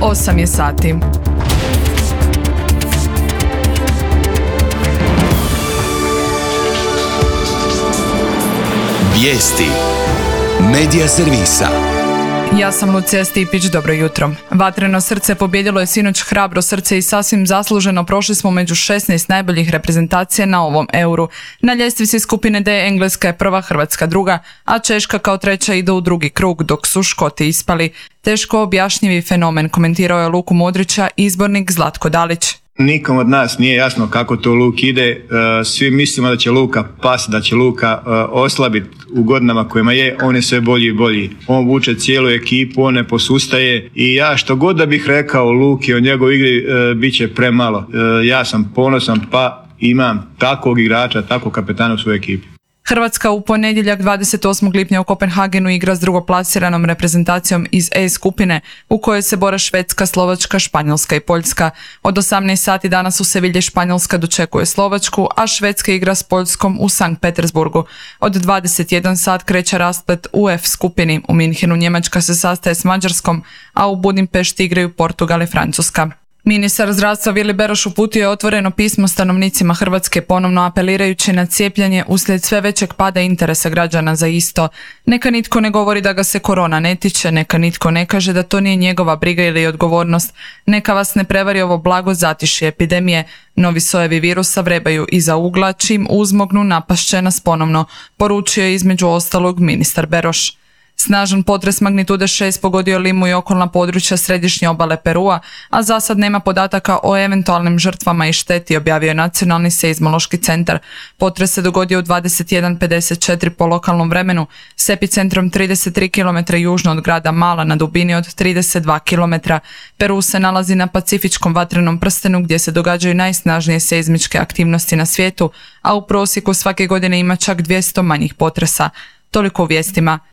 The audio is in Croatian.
8 je sati. Vijesti Medija servisa. Ja sam Lucija Stipić, dobro jutro. Vatreno srce pobijedilo je sinoć hrabro srce i sasvim zasluženo prošli smo među 16 najboljih reprezentacija na ovom Euru. Na ljestvici skupine D Engleska je prva, Hrvatska druga, a Češka kao treća ide u drugi krug, dok su Škoti ispali. Teško objašnjivi fenomen, komentirao je Luku Modrića izbornik Zlatko Dalić. Nikom od nas nije jasno kako to Luk ide, svi mislimo da će Luka pasti, da će Luka oslabiti u godinama kojima je, on je sve bolji i bolji. On vuče cijelu ekipu, on ne posustaje i ja što god da bih rekao Luki o njegovoj igri bit će premalo. Ja sam ponosan pa imam takvog igrača, takvog kapetana u svojoj ekipi. Hrvatska u ponedjeljak 28. lipnja u Kopenhagenu igra s drugoplasiranom reprezentacijom iz E skupine u kojoj se bore Švedska, Slovačka, Španjolska i Poljska. Od 18 sati danas u Sevilji Španjolska dočekuje Slovačku, a Švedska igra s Poljskom u Sankt Petersburgu. Od 21 sat kreće rasplet u F skupini. U Minhenu Njemačka se sastaje s Mađarskom, a u Budimpešti igraju Portugal i Francuska. Ministar zdravstva Vili Beroš uputio je otvoreno pismo stanovnicima Hrvatske, ponovno apelirajući na cijepljenje uslijed sve većeg pada interesa građana za isto. Neka nitko ne govori da ga se korona ne tiče, neka nitko ne kaže da to nije njegova briga ili odgovornost. Neka vas ne prevari ovo blago zatišje epidemije. Novi sojevi virusa vrebaju iza ugla, čim uzmognu napašće nas ponovno, poručio je između ostalog ministar Beroš. Snažan potres magnitude 6 pogodio Limu i okolna područja središnje obale Perua, a za sad nema podataka o eventualnim žrtvama i šteti, objavio je Nacionalni seizmološki centar. Potres se dogodio u 21:54 po lokalnom vremenu, s epicentrom 33 km južno od grada Mala na dubini od 32 km. Peru se nalazi na pacifičkom vatrenom prstenu gdje se događaju najsnažnije seizmičke aktivnosti na svijetu, a u prosjeku svake godine ima čak 200 manjih potresa. Toliko u vijestima.